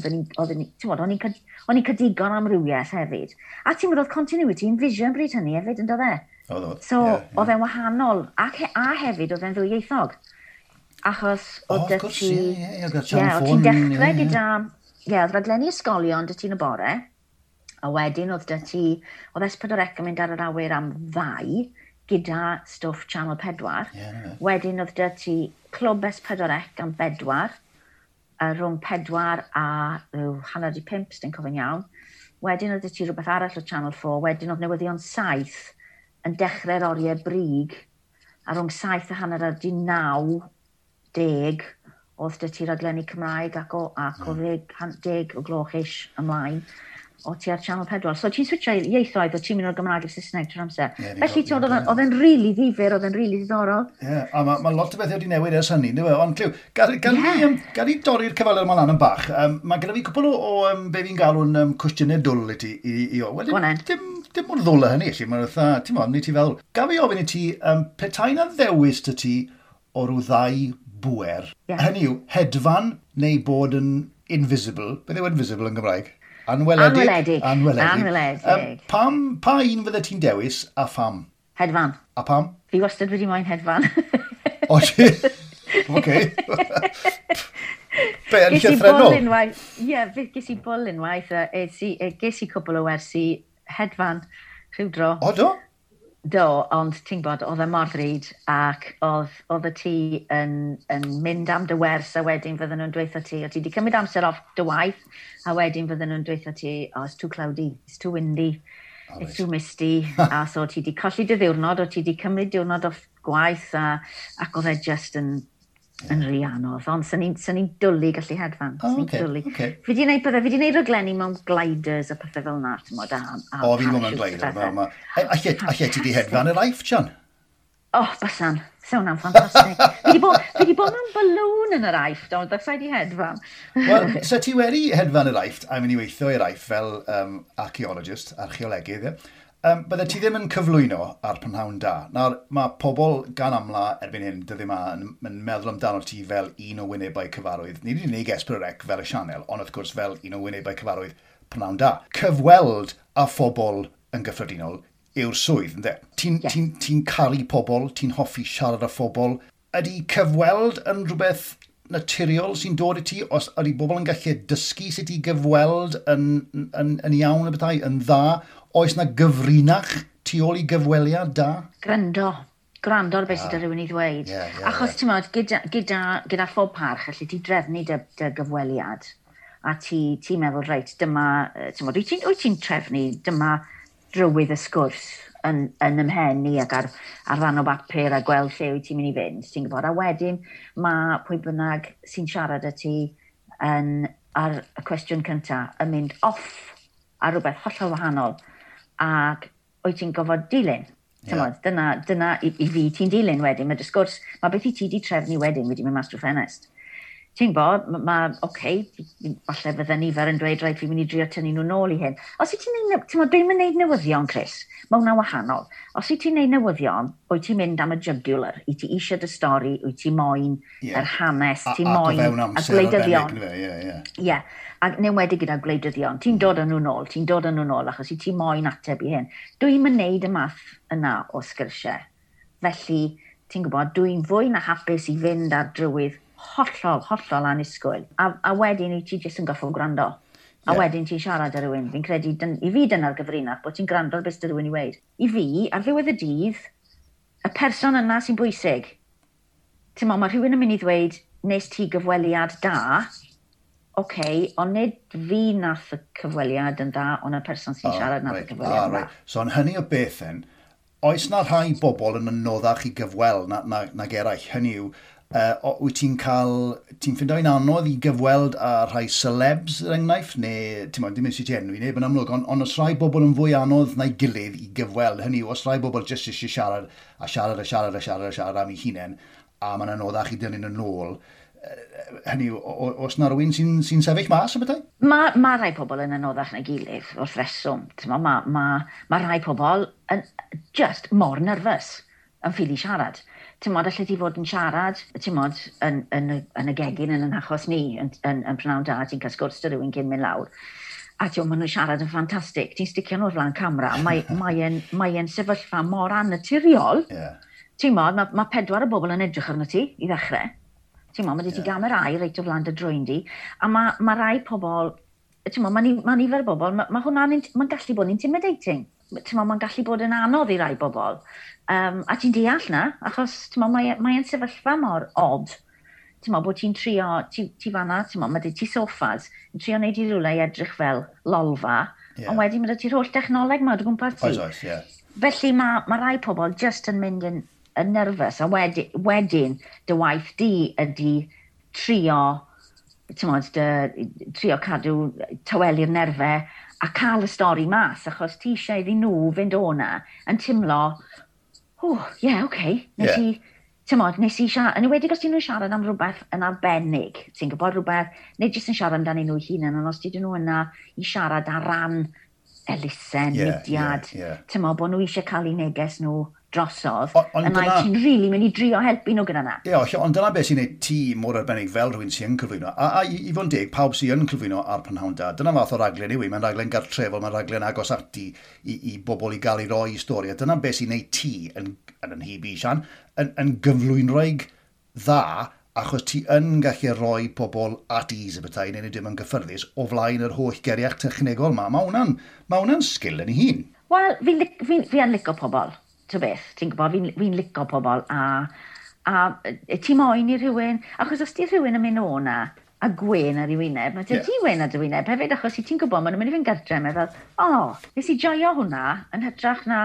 o'n i'n cael digon amrywiaeth hefyd. A ti'n bod, oedd continuity yn vision bryd hynny hefyd, yn dod e? Oedd. So, oedd e'n wahanol, a hefyd oedd e'n ddwyieithog. Achos oedd dy ti... Oedd ti'n dechrau gyda... Ie, oedd raglenni ysgolion dy ti'n y bore, a wedyn oedd dy ti... Oedd S4C yn mynd ar yr awyr am 2 gyda stwff Channel 4. Yeah, wedyn oedd dy ti Clwb S4C am 4, rhwng 4 a 4:30, sy'n cofio'n iawn. Wedyn oedd ti rhywbeth arall o Channel 4, wedyn oedd newyddion 7 yn dechrau'r oriau brig, a rhwng 7 a 8:30, 10, oedd dy ti raglenni Cymraeg ac o 10 o gloch-ish ymlaen, o ti ar Channel 4. So ti'n switcho ieithoedd, o ti'n mynd o'r Gymraeg i'r Saesneg trwy'r amser. Yeah, felly oedd e'n rili ddifyr, oedd e'n rili ddiddorol. Ie, yeah, a mae lot o bethau wedi newid ers hynny, ynddo fe? Ond Clyw, gad i dorri'r cyfaliad yma lan yn bach. Mae gyda fi cwpl o be fi'n galw'n cwestiynau dwl i ti. Wel, dim mor ddwl â hynny, allu. Mae'n fatha, ti'n modd, ni ti fel. Gaf i ofyn i ti, petai na ddewis dy ti o ryw ddau bŵer, hynny yw, hedfan neu bod yn invisible. Beth yw invisible yn Gymraeg? Anweledig. Anweledig. Pa un fydde ti'n dewis a pham? Hedfan. A pam? Fi wastad wedi moyn hedfan. O, ti? Oce. Be, yn llythrennol? Ie, ges i bwl unwaith. Ges i cwpl o wersi hedfan rhyw dro. O, do? Do, ond ti'n gwybod, oedd e mor ddrud ac oedd y ti yn mynd am dy wers a wedyn fydden nhw'n dweutho ti, o ti wedi cymryd amser off dy waith a wedyn fydden nhw'n dweutho ti, oh, it's too cloudy, it's too windy, it's too misty, a so ti wedi colli dy ddiwrnod, o ti wedi cymryd diwrnod off gwaith ac oedd e just yn rhy anodd, ond sy'n ni'n dwlu gallu hedfan. Oh, okay. Fi di wneud raglenni mewn gliders a pethau fel na, ti'n modd, a o, fi'n mewn glider. Alle ti di hedfan yr Aifft, Sian? O, bysan. Sa hwnna'n ffantastig. Fi di bod mewn balloon yn yr Aifft, ond bysai di hedfan. Wel, so ti wedi hedfan yr Aifft, a mynd i weithio i'r Aifft fel archaeologist, archeolegydd, ie? Bydde ti ddim yn cyflwyno ar Prynhawn Da. Nawr, mae pobl gan amla erbyn hyn, dyddi yma, yn meddwl amdano ti fel un o wynebau cyfarwydd. Ni wedi gwneud S4C fel y sianel, ond wrth gwrs fel un o wynebau cyfarwydd Prynhawn Da. Cyfweld a phobl yn gyffredinol yw'r swydd, ynddo? Ti'n caru pobl, ti'n hoffi siarad â phobl. Ydy cyfweld yn rhywbeth naturiol sy'n dod i ti, os ydy bobl yn gallu dysgu sut i gyfweld yn iawn y bethau, yn dda, oes na gyfrinach tu ôl i gyfweliad da? Gwrando ar beth sydd â rhywun i ddweud. Achos ti'n modd, gyda phob parch, allu ti drefnu dy gyfweliad, a ti'n meddwl, reit, dyma, ti'n modd, wyt ti'n trefnu, dyma drywydd y sgwrs. yn ymhen i ac ar ran o bapur a gweld lle wyt ti'n mynd i fynd, ti'n gwybod. A wedyn mae pwy bynnag sy'n siarad â ti yn, ar y cwestiwn cyntaf yn mynd off ar rhywbeth hollol wahanol ac wyt ti'n gofod dilyn. Yeah. Dyna i fi ti'n dilyn wedyn. Mae dy sgwrs, mae beth i ti di trefnu wedyn wedi mynd mas drwy ffenest. Ti'n gwybod, mae, okay, falle fydde nifer yn dweud, rhaid, fi'n mynd i drio tynnu nhw nôl i hyn. Os wyt ti'n neud, ti'n gwybod, dwi'n mynd neud newyddion, Chris, mae hwnna wahanol. Os wyt ti'n neud newyddion, wyt ti'n mynd am y jugular, wyt ti eisiau dy stori, wyt ti moyn yr hanes, ti'n moyn y gwleidyddion. Ie, yeah. Ac newedig gyda gwleidyddion, ti'n dod â nhw nôl, ti'n dod â nhw nôl, achos i ti moyn ateb i hyn. Dwi'n mynd neud y math yna o sgyrsiau. Felly, ti'n gwybod, dwi'n fwy na hapus i fynd ar drywydd hollol, hollol annisgwyl. A wedyn i ti jyst yn goffo gwrando. A wedyn ti'n siarad â rhywun. Fi'n credu, i fi dyna'r gyfrinach, bod ti'n gwrando ar beth sydd rhywun i weud. I fi, ar ddiwedd y dydd, y person yna sy'n bwysig. Ti'n mo, mae rhywun yn mynd i ddweud, nes ti gyfweliad da, okay, ond nid fi nath y cyfweliad yn dda, ond y person sy'n siarad nath y cyfweliad yn dda. Right. So, yn hynny o beth then, oes na rhai bobl yn anoddach i gyfweld nag eraill? Hynny yw, wyt ti'n cael, ti'n ffindo'n anodd i gyfweld â rhai celebs, er enghraifft, neu, ti'n modd, dim eisiau ti enwi neb yn amlwg, ond os rhai bobl yn fwy anodd na'i gilydd i gyfweld, hynny yw, os rhai bobl jyst eisiau siarad a siarad a siarad a siarad a siarad am eu hunain, a mae'n anoddach i dynnu nhw nôl, hynny yw, oes na rhywun sy'n sefyll mas o bethau? Mae rhai pobl yn anoddach na'i gilydd, wrth reswm. Mae rhai pobl yn just mor nervous yn ffili siarad. Ti'n modd, allet ti fod yn siarad, ti'n modd, yn y gegin yn achos ni, yn prynawn da, ti'n cael sgwrs dy rhywun cyn mynd lawr. A ti'n maen nhw'n siarad yn ffantastig. Ti'n sticio nhw o'r flaen camera, mae sefyllfa mor annaturiol. Yeah. Ti'n modd, mae 4 o bobl yn edrych arno ti i ddechrau. Ti'n modd, mae 'da ti gamerâu reit o flaen dy drwyn di. A mae rai pobl, ti'n modd, mae nifer o bobl, mae hwnna'n mae'n gallu bod yn intimidating. Ti'n modd, mae'n gallu bod yn anodd i rai bobl. A ti'n deall na, achos mae'n mae sefyllfa mor odd. Ti'n modd, bod ti'n trio, ti fanna, ti'n modd, mae 'da ti soffas, yn trio wneud i rywle i edrych fel lolfa, ond wedyn mae 'da ti'r holl technoleg ma o dy gwmpas ti. Oes, ie. Felly mae rai pobl just yn mynd yn nervous, a wedyn dy waith di ydy trio, ti'n modd, trio cadw tawelu'r nerfau a cael y stori mas, achos ti eisiau iddyn nhw fynd o'na yn timlo, oh, yeah, okay, nes i, ti'n modd, nes i siarad, yn enwedig os ti'n nhw'n siarad am rhywbeth yn arbennig, ti'n gwybod rhywbeth, neu jyst yn siarad amdanyn nhw hunain, ond os ti'n nhw yna i siarad ar ran elusen, mudiad, ti'n modd, bod nhw eisiau cael eu neges nhw drosodd, yna ti'n rili mynd i drio helpu nhw gyda na. Ie, ond dyna beth sy'n gwneud ti mor arbennig fel rhywun sy'n yn cyflwyno. A i fod yn deg, pawb sy'n yn cyflwyno ar Prynhawn Da, dyna fath o raglen yw i. Mae'n raglen gartrefol, mae'n raglen agos ati i bobl i gael ei roi i stori. A dyna beth sy'n gwneud ti, yn nhyb i, Sian, yn gyflwynwraig dda, achos ti yn gallu rhoi pobl at ease y bethau, neu dim yn gyffyrddus, o flaen yr holl geriach technegol ma. Mae hwnna'n sgil yn ei hun. Wel, fi yn licio pobl. Ti'n beth, ti'n gwybod, fi'n licio pobl a ti moyn i rhywun, achos os ti rhywun yn mynd o'na a gwen ar ei wyneb, mae ti wen ar dy wyneb hefyd, achos i ti'n gwybod, maen nhw'n mynd i fynd gartre, meddwl, nes i joio hwnna, yn hytrach na,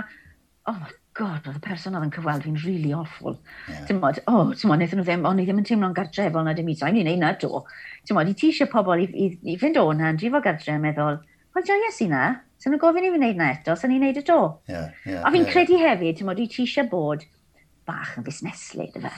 oh my God, oedd y person oedd yn cyfweld fi'n really awful. Yeah. Ti'n modd, ti'n modd, wnaethon nhw ddim, o'n i ddim yn teimlo'n gartrefol na dim i, sa'n i'n neud na do. Ti'n modd, i ti eisiau pobl i fynd o'na, yn drifo gartre, yn meddwl, wel, joies i na. So nhw'n gofyn i fi wneud na eto, so ni'n neud y do. Yeah, a fi'n credu hefyd, ti'n modd, ti eisiau bod bach yn fusneslyd, efe.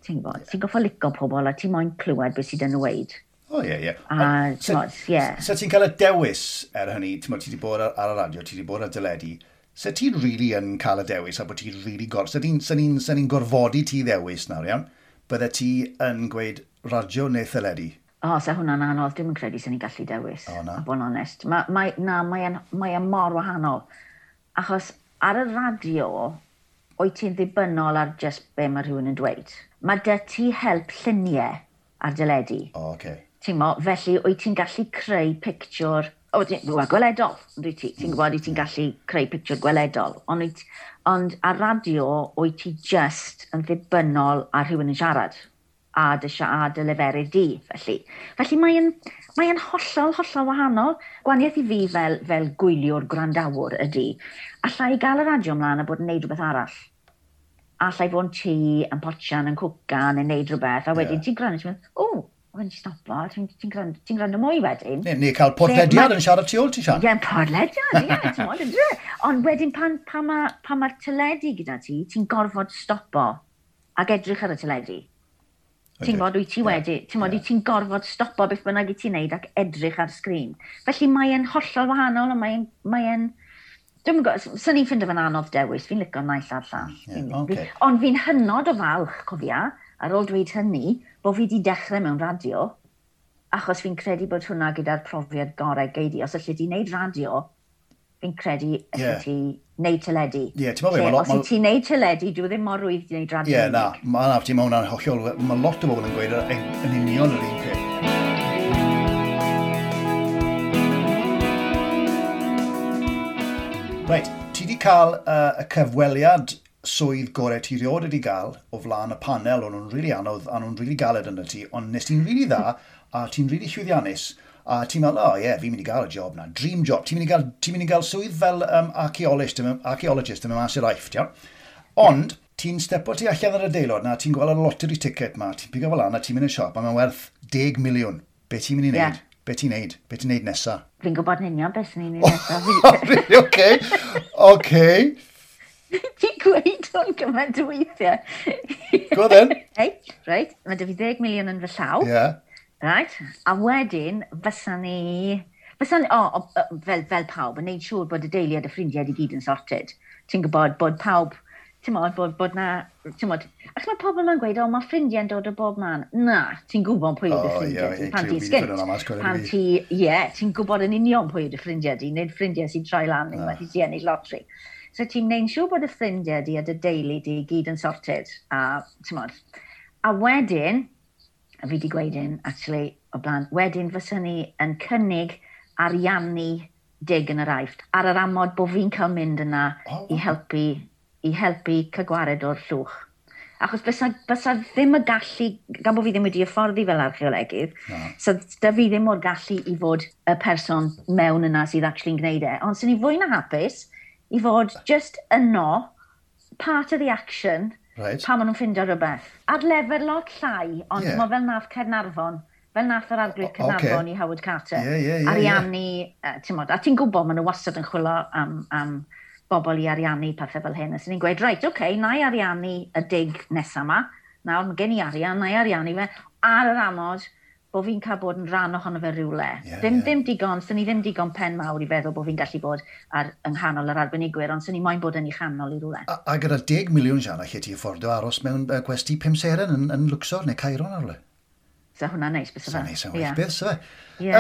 Ti'n gwybod, ti'n goffo licio pobl a ti'n moyn clywed beth sydd yn dweud. O, ie. A, ti'n modd, ie. So ti'n cael y dewis er hynny, ti'n modd, ti wedi bod ar y radio, ti wedi bod ar deledu, so ti'n really yn cael y dewis a bod ti'n really So ni'n gorfodi ti ddewis nawr, iawn? Bydde ti yn gweud radio neu theledu? O, sa hwnna'n anodd, dwi'm yn credu sy'n ni'n gallu dewis. O, na. A bod yn onest. Mae mor wahanol. Achos ar y radio, wyt ti'n ddibynnol ar just be mae rhywun yn dweud. Mae dy ti help lluniau ar deledu. O, oce. Ti'n mo, felly wyt ti'n gallu creu pictiwr, gweledol, wyt ti? Ti'n gwybod, wyt ti'n gallu creu pictiwr gweledol. Ond ar radio, wyt ti just yn ddibynnol ar rhywun yn siarad. a dy, a dy leferydd di, felly. Felly mae'n mae hollol, hollol wahanol. Gwaniaeth i fi fel gwyliwr gwrandawr ydy, allai gael y radio ymlaen a bod yn neud rhywbeth arall. Allai fod yn tŷ, yn potsian, yn cwcan, yn neud rhywbeth, a wedyn ti'n gwrando, ti'n mynd, o, wedyn ti'n stopo, ti'n gwrando, ti gwrando mwy wedyn. Neu cael podlediad yn siarad tu ôl ti, Sian. Ie, podlediad, ie, ti'n modd, yndyfe? Ond wedyn pan mae'r teledu gyda ti, ti'n gorfod stopo ac edrych ar y teledu. Ti'n gwybod, wyt ti wedi, ti'n gwybod, ti'n gorfod stopo beth bynnag i ti'n neud ac edrych ar sgrin. Felly mae'n hollol wahanol, a mae'n, dwi'n gwybod, swn i'n ffindo fe'n anodd dewis, fi'n licio naill a'r llall. Yeah, okay. Ond fi'n hynod o falch, cofia, ar ôl dweud hynny, bod fi wedi dechrau mewn radio, achos fi'n credu bod hwnna gyda'r profiad gorau gei di. Os allu di wneud radio, fi'n credu allu ti wneud teledu. Ie, ti'n meddwl, os ti'n wneud teledu, dwi ddim mor rwydd i wneud radio. Ie, na, mae hwnna'n hollol, mae lot o bobl yn gweud yn union yr un peth. Reit, ti wedi cael y cyfweliad swydd gorau ti rioed wedi gael o flaen y panel, o'n nhw'n rili anodd, a nhw'n rili galed yna ti, ond nes ti'n rili dda, a ti'n rili llwyddiannus, a ti'n meddwl, oh ie, yeah, fi'n mynd i gael y job na, dream job, ti'n mynd i gael swydd fel archaeologist, yn mynd mas i'r Aifft, iawn? Ond, ti'n stepo ti allan ar y deilod na, ti'n gweld y lottery ticket ma, ti'n pigo fel lan a ti'n mynd i'r siop, a mae'n werth 10 miliwn. Be ti'n mynd i wneud? Yeah. Be ti'n neud? Be ti'n neud nesa? Fi'n gwybod yn union beth sy'n ni'n neud nesa. Really? Okay. Okay. Ti'n gweud hwn gymaint o weithiau. Go then. Right, mae 'da fi 10 miliwn yn fy llaw. Yeah. Right, a wedyn, fysa ni, fel pawb, yn neud siŵr bod y deulu a dy ffrindiau i gyd yn sorted. Ti'n gwybod bod pawb, ti'n modd, bod na, ti'n modd, ac mae pobl yn gweud, o, mae ffrindiau'n dod o bob man. Na, ti'n gwybod pwy yw dy ffrindiau di, pan ti'n sgynt. Pan ti, ie, ti'n gwybod yn union pwy yw dy ffrindiau di, nid ffrindiau sy'n troi lan unwaith i ti ennill lotri. So ti'n neud siŵr bod y ffrindiau di a dy deulu di gyd yn sorted, a ti'n modd. A wedyn, a fi wedi gweud hyn, actually, o blaen, wedyn fyswn ni yn cynnig ariannu dig yn yr Aifft, ar yr amod bod fi'n cael mynd yna i helpu cael gwared o'r llwch. Achos bysa ddim y gallu, gan bod fi ddim wedi hyfforddi fel archeolegydd, so da fi ddim o'r gallu i fod y person mewn yna sydd actually'n gwneud e. Ond sy'n ni fwy na hapus i fod just yno, part of the action, right. Pan maen nhw'n ffindo rhywbeth. Ar lefel lot llai, ond yeah. Fel nath Caernarfon, fel nath yr arglwydd Caernarfon i Howard Carter. Ariannu, ti'n modd, a ti'n gwybod maen nhw wastad yn chwilio am bobl i ariannu pethau fel hyn. A sy'n ni'n gweud, reit, oce, na i ariannu y dig nesaf yma. Nawr, mae gen i arian, na i ariannu fe, ar yr amod bod fi'n cael bod yn rhan ohono fe rywle. Ddim digon, sy'n ni ddim digon pen mawr i feddwl bod fi'n gallu bod ar, yng nghanol yr arbenigwyr, ond sy'n ni moyn bod yn ei chanol i rywle. A gyda 10 miliwn, Sian, lle ti affordio aros mewn gwesty 5 seren yn Luxor neu Cairo neu rywle? So hwnna'n neis, bys fe. Neis, yn well beth, so fe. Ie.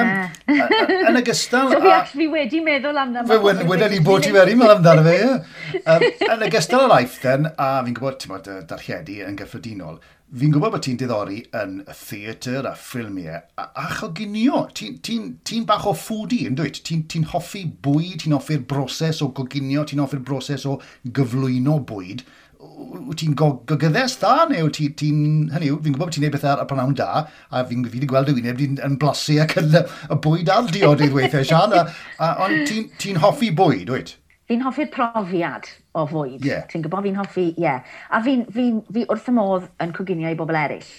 Yn ogystal... So fi wedi meddwl amdano. Fe wedyn ni bod ti wedi meddwl amdano fe, ie. Yn ogystal â'r Aifft, then, a fi'n gwybod, ti'n bod, darlledu yn gyffredinol, fi'n gwybod bod ti'n diddori yn y theatr a ffilmiau a choginio. Ti'n bach o foodie, yn dwyt? Ti'n hoffi bwyd, ti'n hoffi'r broses o goginio, ti'n hoffi'r broses o gyflwyno bwyd. Wyt ti'n gogyddes dda, neu wyt ti'n, hynny yw, fi'n gwybod bod ti'n neud bethau ar y prynhawn da, a fi wedi gweld y wyneb yn blasu ac yn y bwyd a'r diodydd weithiau, Sian, ond ti'n hoffi bwyd, wyt? Fi'n hoffi'r profiad o fwyd. Yeah. Ti'n gwybod, fi'n hoffi, ie. Yeah. A fi wrth y modd yn coginio i bobl eraill.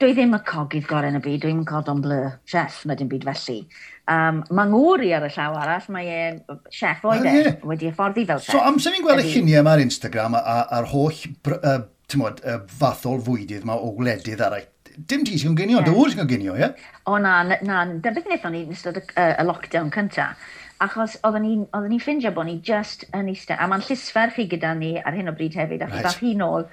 Dwi ddim y cogydd gorau yn y byd, dwi'n cordon bleu chef na dim byd felly. Mae ngŵr i ar y llaw arall, mae e'n chef oedd e, wedi hyfforddi fel chef. So amser fi'n gweld y lluniau yma ar Instagram a'r holl fathol fwydydd yma o wledydd arall, dim ti sy'n coginio, dy ŵr sy'n coginio, ie? O na, na, dyna beth wnaethon ni yn ystod y lockdown cynta. Achos oedden ni'n ffindio bod ni just yn eistedd, a mae'n llysferch i gyda ni ar hyn o bryd hefyd, achos dath hi nôl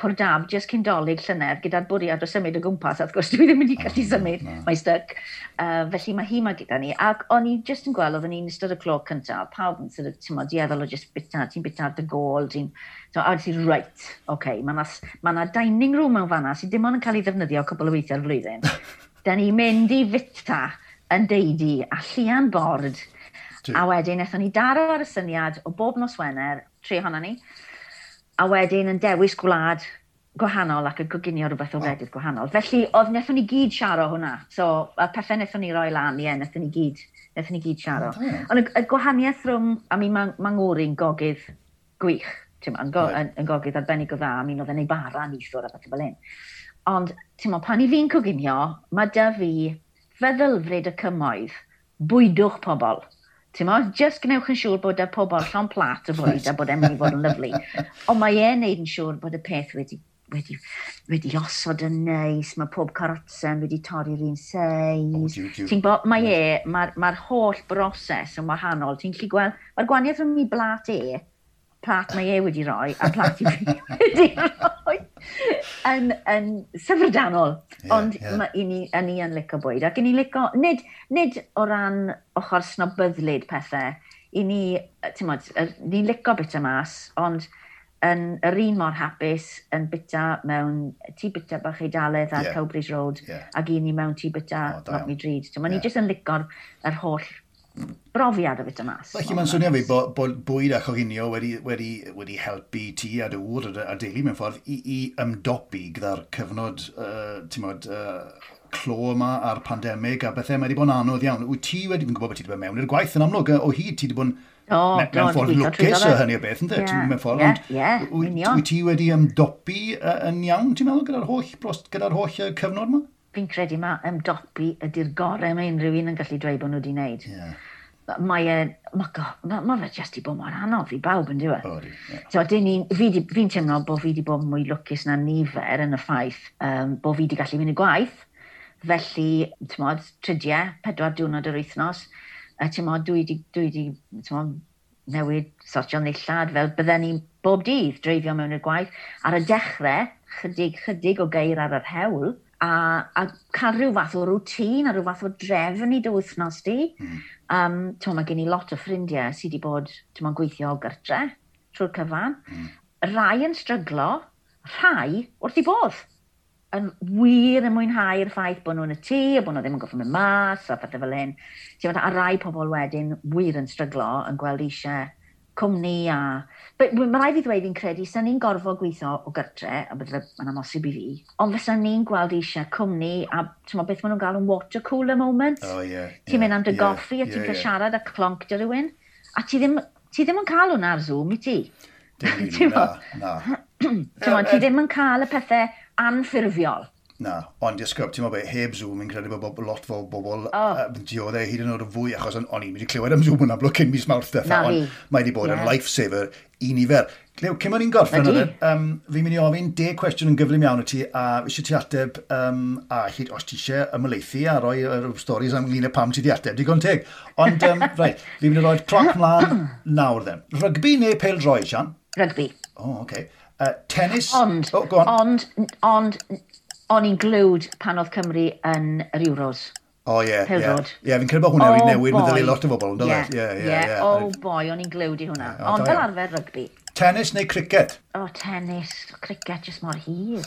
Pwrdab just cyn Dolig llynedd gyda'r bwriad o symud o gwmpas, a wrth gwrs dwi ddim wedi gallu symud, mae stuck. Felly mae hi ma gyda ni, ac o'n i just yn gweld, oedden ni'n ystod y clo cyntaf, pawb yn sort of, ti'n modd, dieddol o just bita, ti'n bita ar dy gôl, ti'n... So, a wedi right, okay, mae na dining room mewn fanna sydd dim ond yn cael ei ddefnyddio cwbl o weithiau'r flwyddyn. Da ni'n mynd i fita yn deidi a llian bord. A wedyn, wnaethon ni daro ar y syniad o bob nos Wener, 3 ohonon ni, a wedyn yn dewis gwlad gwahanol ac yn coginio rhywbeth o wledydd gwahanol. Felly, oedd wnaethon ni gyd siaro hwnna. So, y pethau wnaethon ni roi lan, ie, wnaethon ni gyd siaro. Ond y gwahaniaeth rhwng, I mean, ma ngŵr i'n gogydd gwych, ti'n yn, go, yn gogydd arbennig o dda, I mean, oedd e'n ei bara neithiwr a beth fel hyn. Ond, ti'n mo, pan i fi'n coginio, mae da fi feddylfryd y cymoedd, bwydwch pobl. Ti'n mo, just gwnewch yn siŵr bod y pobl llond plat o fwyd a bod e'n mynd i fod yn lyfli. Ond mae e'n neud yn siŵr bod y peth wedi osod yn neis, mae pob carotsen wedi torri'r un seis. Oh, jiw. Ti'n bo, mae e, mae'r holl broses yn wahanol. Ti'n gallu gweld, mae'r gwahaniaeth rhwng i blat e, plat mae e wedi rhoi, a plat i fi wedi rhoi, yn syfrdanol. Ond ma, i ni yn licio bwyd. Ac i ni licio, nid o ran ochr snobyddlyd pethau, i ni, ti'n mod, ni'n licio bita mas, ond yn yr un mor hapus yn bita mewn tŷ bita bach Eidaledd ar Cowbridge Road ac i ni mewn tŷ bita O, da iawn. lot mwy drud. Ti'n ni jyst yn licio'r yr holl brofiad o bita mas. Felly mae'n swnio fi bod bwyd a choginio wedi helpu ti a dy ŵr a deulu mewn ffordd i ymdopi gyda'r cyfnod, ti'n mod, clo yma a'r pandemig a bethau. Mae wedi bod yn anodd iawn. Wyt ti wedi, fi'n gwybod bod ti wedi bod mewn i'r gwaith yn amlwg, o hyd ti wedi bod yn Do, do, mewn ffordd gweithio lwcus trwyddo o fe. hynny o beth, ynddo? Ie, Ti'n mewn ffordd, ie, ond ie, union. wyt ti wedi ymdopi yn iawn, ti'n meddwl, gyda'r holl cyfnod yma? Fi'n credu mae ymdopi ydy'r gorau mae unrhyw un yn gallu dweud bod nhw wedi wneud. Mae e, ma fe jyst i bod mor anodd i bawb yn diwedd. O, di, ie. So, fi'n teimlo bod fi wedi bod mwy lwcus na nifer yn y ffaith bod fi wedi gallu mynd i gwaith. Felly, ti'n mod, 3, 4 diwrnod yr wythnos, a ti'n mod, dwi wedi, ti'n mod, newid sortio nillad fel bydden ni bob dydd dreifio mewn i'r gwaith. Ar y dechrau, chydig, chydig o geir ar yr hewl, a cael rhyw fath o rwtîn a rhyw fath o drefn i dy wythnos di. Ti'n mae gen i lot o ffrindiau sydd wedi bod, ti'n mo'n gweithio o gartre trwy'r cyfan. Rai yn stryglo, rhai wrth i bodd yn wir yn mwynhau'r ffaith bod nhw'n y tŷ, a bod nhw ddim yn gorfod mynd mas, a pethau fel hyn. Ti'n meddwl, a rai pobl wedyn wir yn stryglo, yn gweld eisiau cwmni a... But mae rhaid fi ddweud fi'n credu, sa'n ni'n gorfod gweithio o gartre, a bydde mae'n amhosib i fi, ond fysa ni'n gweld eisiau cwmni a ti'n meddwl beth maen nhw'n galw yn water cooler moment. O, ie. Ti'n mynd am dy goffi a ti'n cael siarad a clonc dy rywun, a ti ddim yn cael hwnna ar Zoom i ti. Dim rili, Ti'n na, mo? na. Ti'n mo, ti ddim yn cael y pethau anffurfiol. Na, ond esgob, ti'n meddwl be, heb Zoom, fi'n credu bod lot o bobl O. dioddau hyd yn oed yn fwy, achos o'n i'n wedi clywed am Zoom yn amlwg cyn mis Mawrth ddiwetha, Na ond fi. mae wedi bod yn lifesaver i nifer. Clew, cyn o'n i'n gorffen, fi'n mynd i ofyn 10 cwestiwn yn gyflym iawn i ti, a eisiau ti ateb, a hyd, os ti eisiau ymhelaethu a rhoi stories am ynglyn â pam ti di ateb, digon teg. Ond, reit, fi'n mynd i roi'r cloc mlaen nawr then. Rygbi neu pêl-droed, Sian? Rygbi. O, oh, okay. Tennis? Ond, Oh, go on. ond, o'n i'n glued pan oedd Cymru yn yr Euros. O, ie. Ie, Pêl-droed. Ie, fi'n credu bod hwnna wedi Oh, newid boy. meddyliau lot o bobl, yn dyle? Ie, Ie. Oh boy, o'n i'n glued i hwnna. Ie, o, Ond da fel iawn. arfer rygbi. Tennis neu cricket? O, tennis, cricket, just mor hir.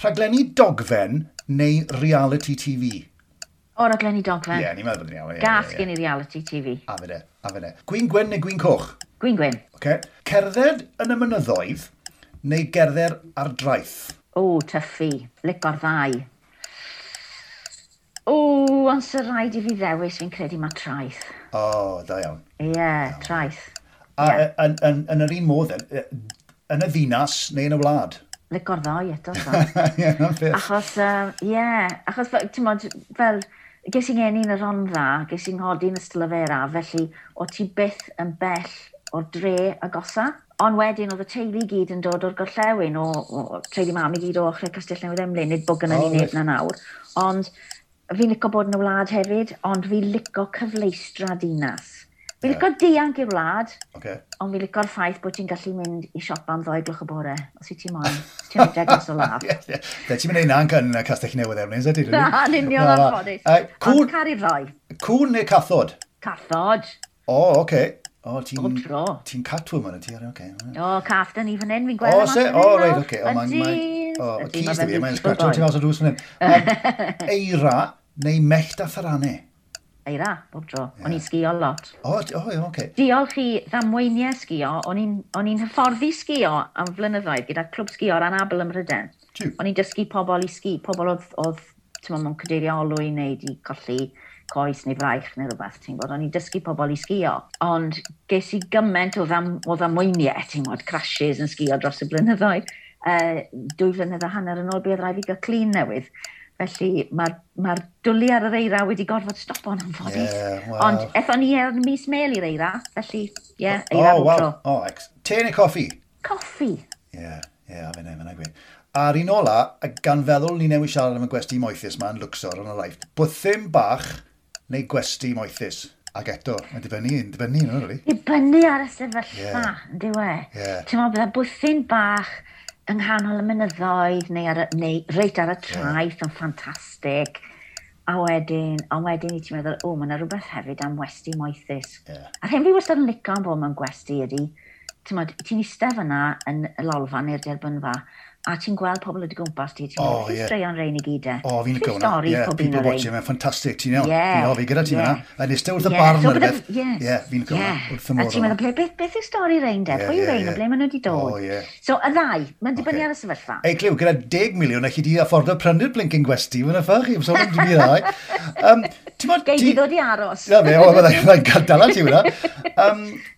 Rhaglenni dogfen neu reality TV? O, raglenni dogfen. Ie, ni'n meddwl bod yn iawn. Gas gen i reality TV. A fe de, a fe de. Gwin gwyn neu gwin coch? Gwin gwyn. Okay. Cerdded yn y mynyddoedd neu gerdded ar draeth? O, tyffu. Lico'r ddau. O, ond sy'n rhaid i fi ddewis, fi'n credu mae traeth. O, da iawn. Ie, yeah, traeth. A Ie. yn yr un modd, yn y ddinas neu yn y wlad? Lico'r ddau eto, so. Ie, na'n ffit. Achos, ie, yeah, achos, ti'n mod, fel, ges i'n ngeni yn y Rhondda, ges i'n nghodi yn Ystalyfera, felly o ti byth yn bell o'r dre agosa. Ond wedyn oedd y teulu i gyd yn dod o'r gorllewin, o teulu mam i gyd o ochrau Castell Newydd Emlyn, nid bod gynnon O, ni neb reit. na nawr. Ond fi'n licio bod yn y wlad hefyd, ond fi'n licio cyfleustra dinas. Fi'n licio dianc i'r wlad, ond fi'n licio'r ffaith bod ti'n gallu mynd i siopa am 2 gloch y bore, os wyt ti moyn. Os ti'n rhedeg mas o law. Ie, ie. Te, ti'n mynd i na'n yn Castell Newydd Emlyn, is it? Na, yn union anffodus. Cwn, Ond caru'r ddau. cwn neu cathod? Cathod. O, oce. O, ti'n... Bob tro. Ti'n catwoman, ydy? Oce. O, cath da ni fan hyn, fi'n gweld O, e mas se? fan O, hyn reit, nawr. oce. O, mae'n... Ydi. O, Ydi, cis ma' da fe'n fi, mae'n beautiful sgratio boy. ti mas o drws fan hyn. Eira neu mellt a tharanau? Eira, bob tro. Yeah. O'n i'n sgio lot. O, oh, oh, okay. Diolch i ddamweiniau sgio, o'n i'n hyfforddi sgio am flynyddoedd gyda clwb sgio ar anabl ym Mhrydain. O'n i'n dysgu pobl i sgi, pobl oedd ti'n mewn cadeirio olwyn neu di colli coes neu fraich neu rhywbeth, ti'n gwybod, o'n i'n dysgu pobl i sgio. Ond ges i gymaint o ddamweiniau, ti'n gwybod, crashes yn sgio dros y blynyddoedd. 2.5 flynedd yn ôl, buodd rhaid fi gael clun newydd. Felly mae'r ma dwlu ar yr eira wedi gorfod stopo'n anffodus. Yeah, well. Ond ethon ni ar mis Mel i'r eira, felly, ie, yeah, eira oh, wow. Oh, te neu coffi? Coffi. Ie, yeah, fe'n gweud. A'r un ola, gan feddwl ni newid siarad am y gwesti moethus ma yn Luxor yn y Aifft, bwthyn bach neu gwesti moethus? Ac eto, mae'n dibynnu, no, really. Dibynnu ar y sefyllfa, yeah. Yw e? Yeah. Ti'n meddwl, bydde bwthyn bach yng nghanol y mynyddoedd neu, neu reit ar y traeth yn ffantastig. A wedyn, ond wedyn i ti'n meddwl, o, mae yna rhywbeth hefyd am westi moethus. Yeah. A'r hyn fi wastad yn licio am bod mewn gwesti ydy, ti'n eistedd fyna yn y lolfa neu'r derbynfa, a ti'n gweld pobl o dy gwmpas ti, ti'n meddwl, oh, straeon rein i gyd e. O, fi'n licio hwnna. Yeah, people watching, mae'n ffantastig, ti'n iawn. Fi'n hoffi gyda ti fyna. A eistedd wrth y barn neu rhywbeth. Ie, fi'n licio hwnna, wrth y modd. A ti'n meddwl, beth yw stori rein de? Pwy yw rein, o ble maen nhw wedi dod? Oh, yeah. So, y ddau, mae'n dibynnu ar y sefyllfa. Ei, Clyw, gyda 10 miliwn, allu di affordo prynu'r blinking gwesti, mae'n ffach i, so mae'n dwi ddau. Gei di ddod i aros. Na fe, o, byddai'n cael dala ti hwnna.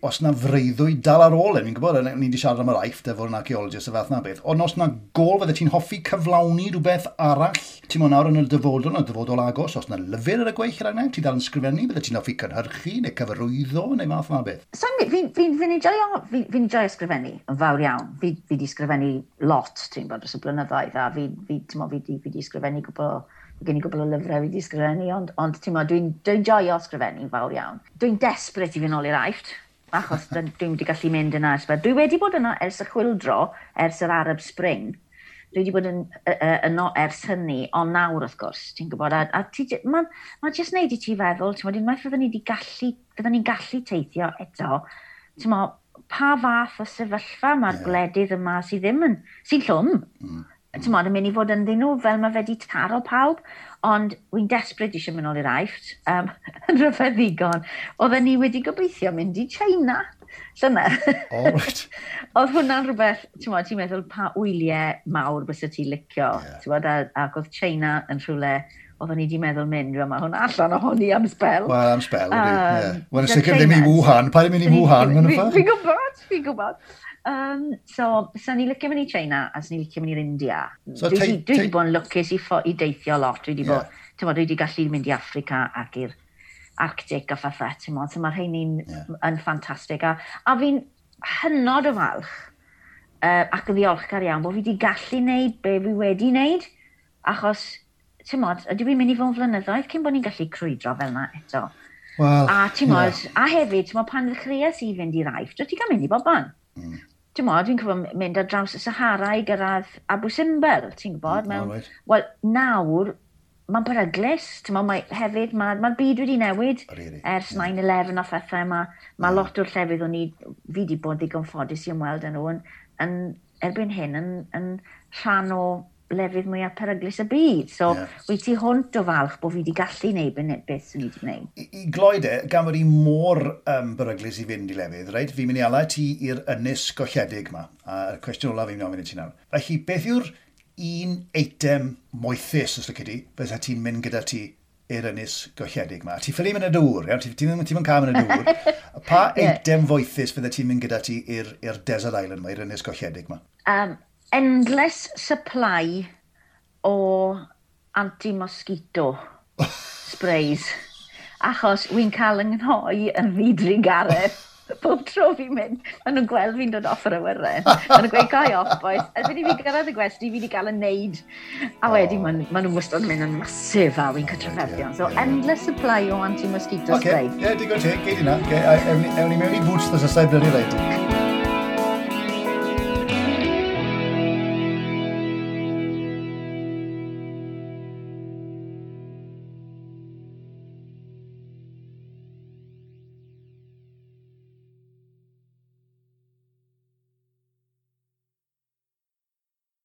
Os na freuddwyd dal ar ôl, fi'n gwybod, ni wedi siarad am yr Aifft efo'r archaeologist y fath na beth, ond os na gol fydde ti'n hoffi cyflawni rhywbeth arall, ti'n mwyn nawr yn y dyfodol, agos, os na lyfr ar y gweill ar ti dal yn sgrifennu, bydde ti'n hoffi cynhyrchu neu cyfarwyddo neu math na beth? So, fi'n joio sgrifennu yn fawr iawn. Fi di sgrifennu lot, ti'n bod, dros y blynyddoedd, a fi di sgrifennu gwbl, gen i gwbl o lyfrau fi di sgrifennu, ond ti'n bod, dwi'n joio sgrifennu yn fawr iawn. Dwi'n desperate i fynd nôl i'r Aifft, achos dwi'n wedi gallu mynd yna ers. Dwi wedi bod yna ers y chwyldro, ers yr Arab Spring. Dwi wedi bod yn, yno ers hynny, ond nawr wrth gwrs, ti'n gwybod, a ma jyst neud i ti feddwl, ti'n gwybod, unwaith fydden ni'n gallu teithio eto, ti'n gwybod, pa fath o sefyllfa mae'r gwledydd yma sydd ddim yn, sy'n llwm, ti'n gwybod, yn mynd i fod ynddyn nhw fel mae fe wedi taro pawb, ond wy'n desperate eisiau mynd nôl i'r Aifft, yn rhyfedd ddigon. Oedden ni wedi gobeithio mynd i China llynedd. Oh, right. Oedd hwnna'n rhywbeth, ti'n gwybod, ti'n meddwl pa wyliau mawr bysa ti'n licio, ti'n gwybod, ac oedd China yn rhywle oedden ni wedi meddwl mynd, mae hwnna allan ohoni am sbel. Wel, am sbel, wedi, ie. Wel, yn sicr ddim i Wuhan, paid mynd i Wuhan, mae'n ffordd. Fi'n gwybod. So, sa'n ni licio mynd i China a sa'n ni licio mynd i'r India. So, dwi wedi bod yn lwcus i deithio lot. Dwi wedi bod, ti'n dwi wedi gallu mynd i Affrica ac i'r Arctic a phethau, ti'n bod. So mae'r rheini'n yn ffantastig. A fi'n hynod o falch ac yn ddiolchgar iawn bod fi wedi gallu wneud be fi wedi wneud, achos, ti'n bod, ydw i'n mynd i fod yn flynyddoedd cyn bod ni'n gallu crwydro fel yna eto. Well, a ti'n bod, a hefyd, ti'n bod, pan ddechreuais i fynd i'r Aifft, dwi ti'n cael mynd i bobman. Ti'n bod, dwi'n cofio mynd ar draws y Sahara i gyrraedd Abu Simbel, ti'n gwybod? Mewn, wel, nawr, mae'n beryglus, ti'n bod, hefyd, mae'r byd wedi newid ers 9/11 a phethau, mae lot o'r llefydd o'n i, fi wedi bod ddigon ffodus i ymweld â nhw, yn erbyn hyn yn rhan o lefydd mwyaf peryglus y byd. So, wyt ti hwnt o falch bod fi wedi gallu gwneud beth sy'n ni wedi gwneud. I gloi de, gan fod i mor beryglus i fynd i lefydd, reit? Fi'n mynd i ala ti i'r ynys golledig yma. A'r cwestiwn olaf fi'n mynd i ofyn i ti nawr. Felly, beth yw'r un eitem moethus, os lici di, fysa ti'n mynd gyda ti i'r ynys golledig yma? Ti'n ffili mynd y dŵr, iawn? Ti'n mynd cael mynd y dŵr. Pa eitem foethus fydde ti'n mynd gyda ti i'r Desert Island yma, i'r ynys golledig yma? Endless supply o anti-mosquito sprays. Achos wy'n cael yng nghnoi yn ddidrugaredd. Bob tro fi'n mynd, maen nhw'n gweld fi'n dod off yr awyren. Maen nhw'n gweud, "Go off, boys." Erbyn i fi gyrraedd y gwesti, fi wedi cael y neud. A wedyn, maen nhw'n wastad yn mynd yn masif a wy'n cael trafferthion. So, endless supply o anti-mosquito spray. Oce, digon teg, gei di na. Ewn ni mewn i boots thos asau blydi reit.